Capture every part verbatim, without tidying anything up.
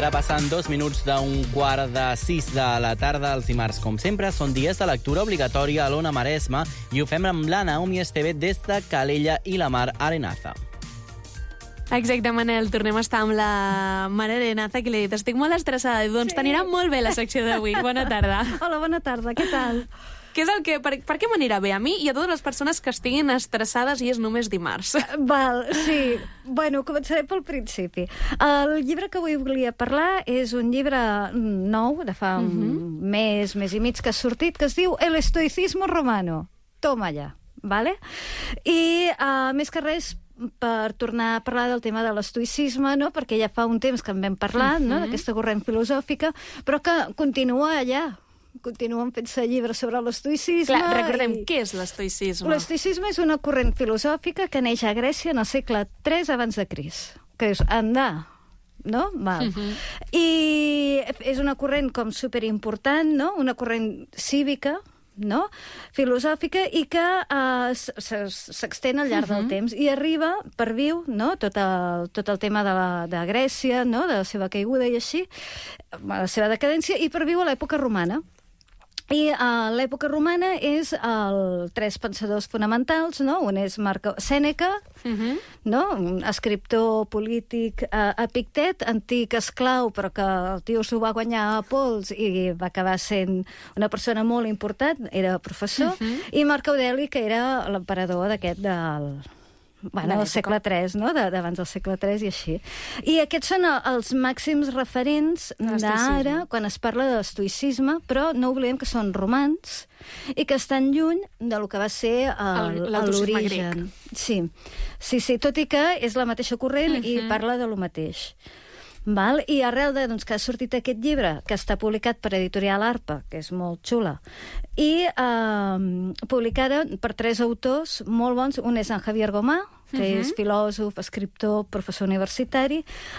ara passen dos minuts d'un quart de sis de la tarda. Els dimarts, com sempre, són dies de lectura obligatòria a l'Ona Maresma i ho fem amb la Naomi Esteve des de Calella i la Mar Arenaza. Exacte, Manel. Tornem a estar amb la Mar Arenaza, que li he dit, estic molt estressada. Doncs sí. T'anirà molt bé la secció d'avui. Bona tarda. Hola, bona tarda. Què tal? Què és el que, per, per què m'anirà bé a mi i a totes les persones que estiguin estressades i és només dimarts? Val, sí. Bueno, començaré pel principi. El llibre que avui volia parlar és un llibre nou, de fa un uh-huh. mes, mes i mig que ha sortit, que es diu El estoicismo romano. Toma allà, vale? I, uh, més que res, per tornar a parlar del tema de l'estoicisme, no? Perquè ja fa un temps que en vam parlar, uh-huh. no? D'aquesta corrent filosòfica, però que continua allà. Continuen fent-se llibres sobre l'estoicisme. Clar, recordem, i... què és l'estoicisme? L'estoicisme és una corrent filosòfica que neix a Grècia en el segle tres abans de Crist. Que és andar, no? Val. Uh-huh. I és una corrent com superimportant, no? Una corrent cívica, no? Filosòfica, i que uh, s'extén al llarg uh-huh. del temps i arriba, perviu, no? tot, el, tot el tema de, la, de Grècia, no? De la seva caiguda i així, la seva decadència, i perviu a l'època romana. I uh, l'època romana és el tres pensadors fonamentals, no? Un és Marc Sèneca, uh-huh. no? Un escriptor polític uh, Epictet, antic esclau, però que el tio s'ho va guanyar a pols i va acabar sent una persona molt important, era professor, uh-huh. i Marc Aureli, que era l'emperador d'aquest del... Bueno, del segle tres, no? D'abans del segle tres i així. I aquests són els màxims referents d'ara quan es parla de l'estoicisme, però no oblidem que són romans i que estan lluny del que va ser l'origen. Sí. sí, sí, tot i que és la mateixa corrent uh-huh. i parla de lo mateix. Val? I arrel de, doncs, que ha sortit aquest llibre, que està publicat per Editorial Arpa, que és molt xula, i eh, publicada per tres autors molt bons. Un és en Javier Gomà, que uh-huh. és filòsof, escriptor, professor universitari.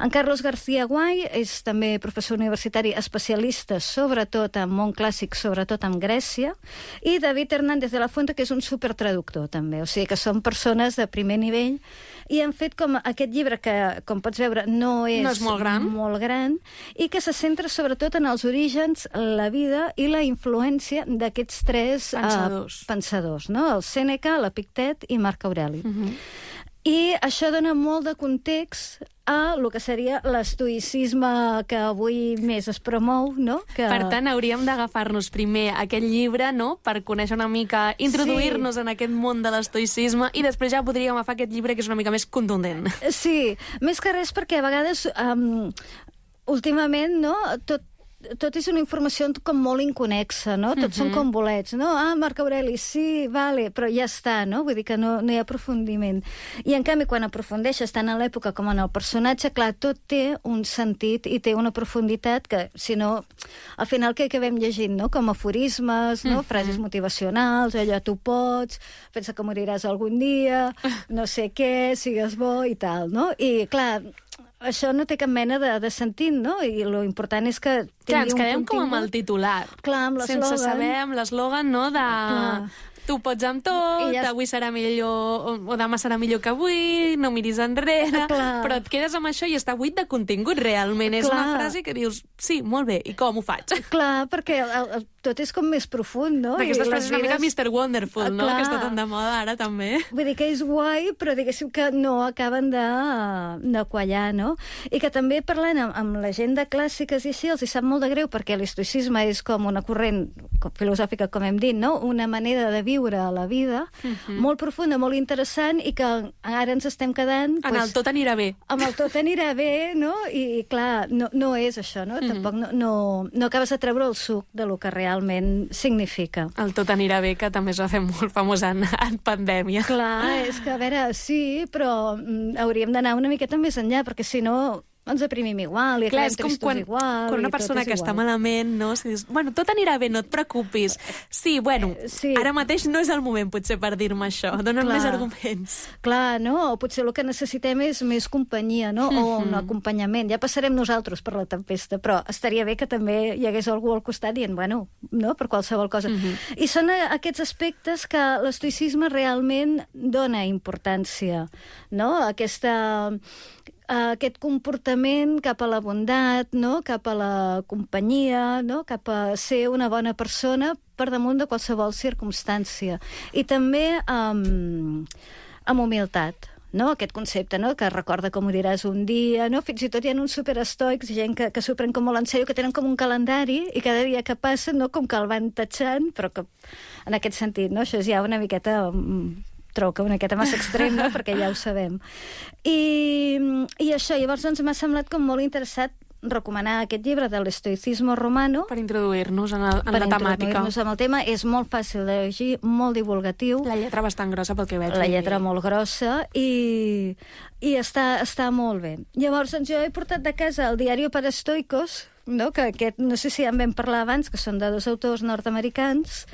En Carlos García Guay és també professor universitari especialista sobretot en món clàssic, sobretot en Grècia. I David Hernández de la Fuente, que és un supertraductor també. O sigui que són persones de primer nivell i han fet com aquest llibre que, com pots veure, no és, no és molt gran. molt gran i que se centra sobretot en els orígens, la vida i la influència d'aquests tres pensadors, uh, pensadors, no? El Sèneca, l'Epictet i Marc Aureli. Uh-huh. I això dona molt de context a el que seria l'estoïcisme que avui més es promou, no? Que... Per tant, hauríem d'agafar-nos primer aquest llibre, no?, per conèixer una mica, introduir-nos sí. en aquest món de l'estoïcisme, i després ja podríem agafar aquest llibre que és una mica més contundent. Sí, més que res perquè a vegades, um, últimament, no?, tot tot és una informació com molt inconexa, no? Tots uh-huh. són com bolets, no? Ah, Marc Aureli, sí, vale, però ja està, no? Vull dir que no, no hi ha aprofundiment. I, en canvi, quan aprofundeixes tant en l'època com en el personatge, clar, tot té un sentit i té una profunditat que, si no, al final què acabem llegint, no? Com aforismes, no? Uh-huh. Frases motivacionals, allò, tu pots, pensa que moriràs algun dia, no sé què, sigues bo i tal, no? I, clar, això no té cap mena de, de sentit, no? I lo important és que tingui clar, ens un quedem contingut... com amb el titular. Clar, amb l'eslògan. Sense saber amb l'eslògan, no?, de... Clar. Tu pots amb tot, ja... avui serà millor, o, o demà serà millor que avui, no miris enrere, clar. Però et quedes amb això i està buit de contingut, realment. Clar. És una frase que dius, sí, molt bé, i com ho faig? Clar, perquè el, el, tot és com més profund, no? D'aquestes frases una mica mister Wonderful, no? Clar. Que està tan de moda ara, també. Vull dir que és guai, però diguéssim que no acaben de, de quallar, no? I que també parlant amb, amb la gent de clàssiques i així, els hi sap molt de greu, perquè l'estoïcisme és com una corrent filosòfica, com hem dit, no? Una manera de viure a la vida, uh-huh. molt profunda, molt interessant, i que ara ens estem quedant... En pues, el tot anirà bé. Amb el tot anirà bé, no? I, clar, no, no és això, no? Uh-huh. Tampoc no, no, no acabes de treure el suc de lo que realment significa. El tot anirà bé, que també es va fer molt famós en, en pandèmia. Clar, és que, a veure, sí, però mm, hauríem d'anar una miqueta més enllà, perquè si no... ens deprimim igual, i acabem tristos quan, igual. Quan una persona que està malament, no? Si dius, bueno, tot anirà bé, no et preocupis. Sí, bueno, eh, sí. ara mateix no és el moment, potser, per dir-me això. Donen Clar. més arguments. Clar, no? O potser el que necessitem és més companyia, no? Mm-hmm. O un acompanyament. Ja passarem nosaltres per la tempesta, però estaria bé que també hi hagués algú al costat dient, bueno, no? Per qualsevol cosa. Mm-hmm. I són aquests aspectes que l'estoïcisme realment dona importància, no? Aquesta... uh, aquest comportament cap a la bondat, no? Cap a la companyia, no? Cap a ser una bona persona per damunt de qualsevol circumstància. I també um, amb humilitat. No? Aquest concepte, no? Que recorda com ho diràs un dia, no? Fins i tot hi ha uns superestoics, gent que, que s'ho pren com molt en sèrio, que tenen com un calendari i cada dia que passa, no? Com que el van tatxant, però que en aquest sentit, no? Això és ja una miqueta... trobo que una miqueta massa extrem, no? Perquè ja ho sabem. I, i això, llavors doncs, m'ha semblat com molt interessat recomanar aquest llibre de l'Estoicismo Romano. Per introduir-nos en, el, en la temàtica. Per introduir-nos en el tema. És molt fàcil de llegir, molt divulgatiu. La lletra bastant grossa pel que veig. La lletra molt grossa i, i està, està molt bé. Llavors, doncs, jo he portat de casa el Diario para Estoicos, no? Que aquest, no sé si ja en vam parlar abans, que són de dos autors nord-americans,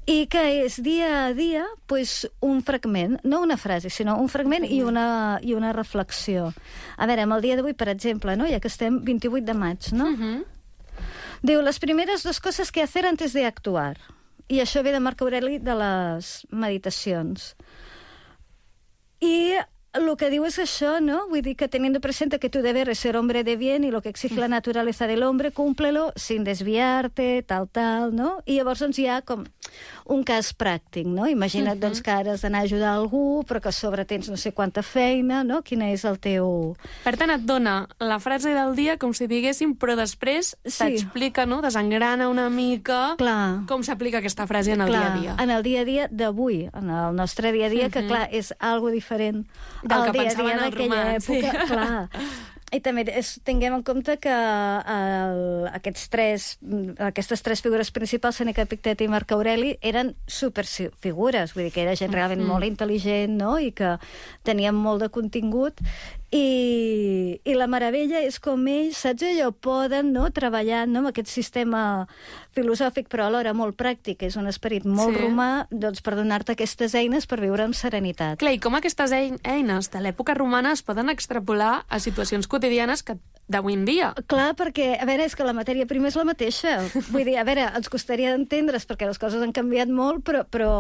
i que és dia a dia pues, un fragment, no una frase, sinó un fragment i una, i una reflexió. A veure, amb el dia d'avui, per exemple, no? Ja que estem vint-i-vuit de maig, no? Uh-huh. Diu, les primeres dos coses que hacer antes de actuar. I això ve de Marc Aureli de les meditacions. I lo que diu és això, ¿no? Vull dir que teniendo presente que tu deber es ser hombre de bien y lo que exige la naturaleza del hombre, cúmplelo sin desviarte, tal, tal, no? I llavors doncs, hi ha com un cas pràctic, no? Imagina't uh-huh. doncs, que ara has d'anar a ajudar algú, però que a sobre tens no sé quanta feina, no? Quina és el teu... Per tant, et dona la frase del dia com si diguéssim, però després sí. t'explica, no? Desengrana una mica clar. Com s'aplica aquesta frase en el clar. dia a dia. En el dia a dia d'avui, en el nostre dia a dia, uh-huh. que clar, és algo diferent del que pensaven els romans. Sí. Clar. I també és, tinguem en compte que el, aquests tres, aquestes tres figures principals, Sèneca, Epictet i Marc Aureli, eren superfigures, vull dir que era gent realment mm. molt intel·ligent, no? I que tenien molt de contingut. I, i la meravella és com ells, saps allò, poden no, treballar no, amb aquest sistema filosòfic, però alhora molt pràctic, és un esperit molt sí. romà, doncs per donar-te aquestes eines per viure amb serenitat. Clar, i com aquestes eines de l'època romana es poden extrapolar a situacions quotidianes que d'avui en dia. Clar, perquè, a veure, és que la matèria prima és la mateixa. Vull dir, a veure, ens costaria d'entendre's perquè les coses han canviat molt, però, però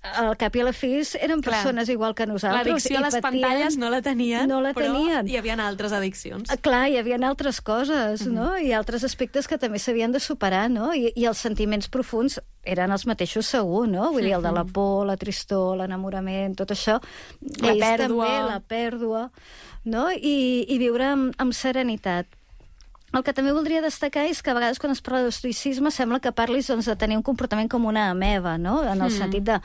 al cap i a la fi eren persones clar. Igual que nosaltres. L'addicció a les patien, pantalles no la tenien, no la però tenien. Hi havia altres addiccions. Clar, hi havia altres coses, mm-hmm. no? I altres aspectes que també s'havien de superar, no? I, I els sentiments profuns eren els mateixos segur, no? Vull dir, el de la por, la tristor, l'enamorament, tot això. La pèrdua. També, la pèrdua, no? I, i viure amb, amb serenitat. El que també voldria destacar és que a vegades quan es parla d'estoicisme sembla que parlis doncs, de tenir un comportament com una ameba, no? En el mm. sentit de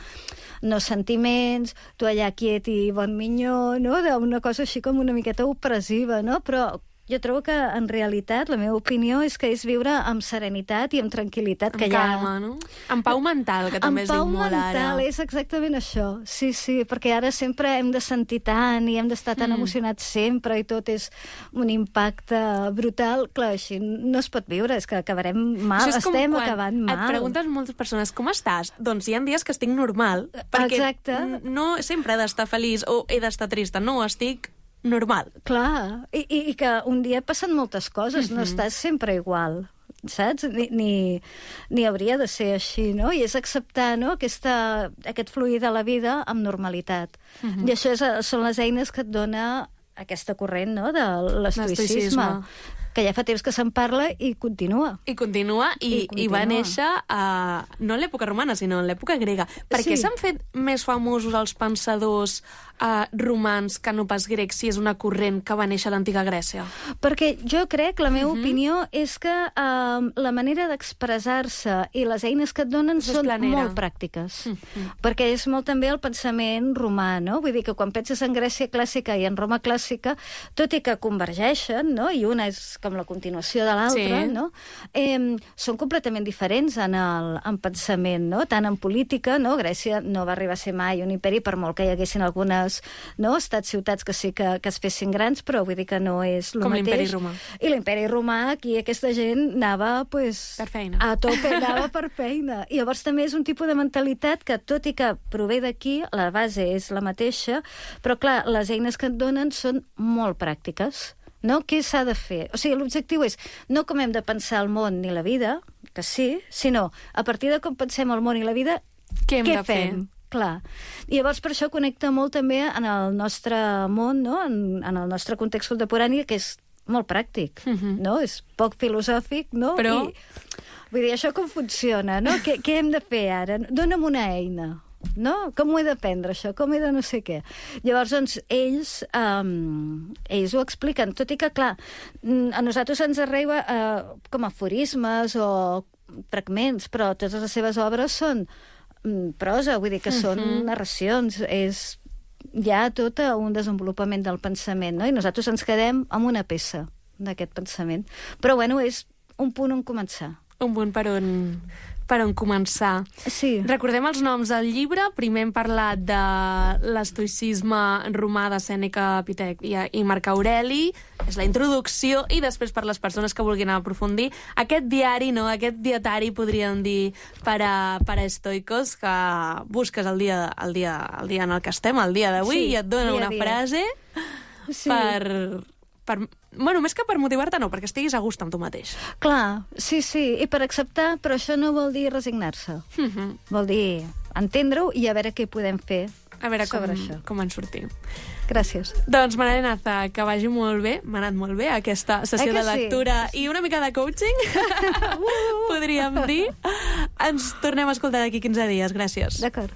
no sentiments, tu allà quiet i bon minyó, no? D'una cosa així com una miqueta opressiva, no? Però jo trobo que, en realitat, la meva opinió és que és viure amb serenitat i amb tranquil·litat. Amb que calma, ja... no? Amb pau mental, que també es diu molt ara. Amb pau mental, és exactament això. Sí, sí, perquè ara sempre hem de sentir tant i hem d'estar tan mm. emocionats sempre i tot és un impacte brutal. Clar, així no es pot viure, és que acabarem mal, estem acabant mal. Et preguntes moltes persones, com estàs? Doncs hi ha dies que estic normal, perquè Exacte. no sempre he d'estar feliç o he d'estar trista, no, estic normal. Clar, I, i, i que un dia passen moltes coses, mm-hmm. no estàs sempre igual, saps? Ni, ni, ni hauria de ser així, no? I és acceptar no? Aquesta, aquest fluir de la vida amb normalitat. Mm-hmm. I això és, són les eines que et dona aquesta corrent no? De l'estoicisme, que ja fa temps que se'n parla i continua. I continua, i, I, continua. I va néixer a, no en l'època romana, sinó en l'època grega. Per què sí. s'han fet més famosos els pensadors Uh, romans que no pas grecs, si és una corrent que va néixer a l'antiga Grècia? Perquè jo crec, la meva uh-huh. opinió és que uh, la manera d'expressar-se i les eines que et donen és són planera. Molt pràctiques. Uh-huh. Perquè és molt també el pensament romà, no? Vull dir que quan penses en Grècia clàssica i en Roma clàssica, tot i que convergeixen, no? I una és com la continuació de l'altra, sí. no? Eh, són completament diferents en el en pensament, no? Tant en política, no? Grècia no va arribar a ser mai un imperi, per molt que hi haguessin algunes no? estats, ciutats que sí que, que es fessin grans, però vull dir que no és el mateix. Com l'imperi romà. I l'imperi romà, aquí aquesta gent anava pues, per feina. A tope, anava per feina. I llavors també és un tipus de mentalitat que, tot i que prové d'aquí, la base és la mateixa, però clar, les eines que et donen són molt pràctiques. No? Què s'ha de fer? O sigui, l'objectiu és no com hem de pensar el món ni la vida, que sí, sinó a partir de com pensem el món i la vida, què, hem què de fem? Fer? Clar. I llavors per això connecta molt també en el nostre món, no? en, en el nostre context contemporani, que és molt pràctic, uh-huh. no? És poc filosòfic, no? Però... I, vull dir, això com funciona, no? Què, què hem de fer ara? Dóna'm una eina, no? Com ho he d'aprendre, això? Com he de no sé què? Llavors, doncs, ells, um, ells ho expliquen, tot i que, clar, a nosaltres ens arriba uh, com aforismes o fragments, però totes les seves obres són prosa, vull dir que són uh-huh. narracions, és ja tot un desenvolupament del pensament, no? I nosaltres ens quedem amb una peça d'aquest pensament. Però, bueno, és un punt on començar. Un punt per on, per on començar. Sí. Recordem els noms del llibre. Primer hem parlat de l'estoïcisme romà de Sèneca, Epitec i, i Marc Aureli. És la introducció, i després per les persones que vulguin aprofundir aquest diari, no? Aquest dietari, podríem dir, per a, per a estoicos, que busques el dia, el, dia, el dia en el que estem, el dia d'avui, sí, i et dona una dia. frase sí. per... Per, bueno, més que per motivar-te, no, perquè estiguis a gust amb tu mateix. Clar, sí, sí, i per acceptar, però això no vol dir resignar-se. Uh-huh. Vol dir entendre-ho i a veure què podem fer a veure sobre com, això. com en sortim. Gràcies. Doncs, Maria Naza, que vagi molt bé, m'ha anat molt bé aquesta sessió de lectura sí? i una mica de coaching, podríem dir. Ens tornem a escoltar d'aquí quinze dies. Gràcies. D'acord.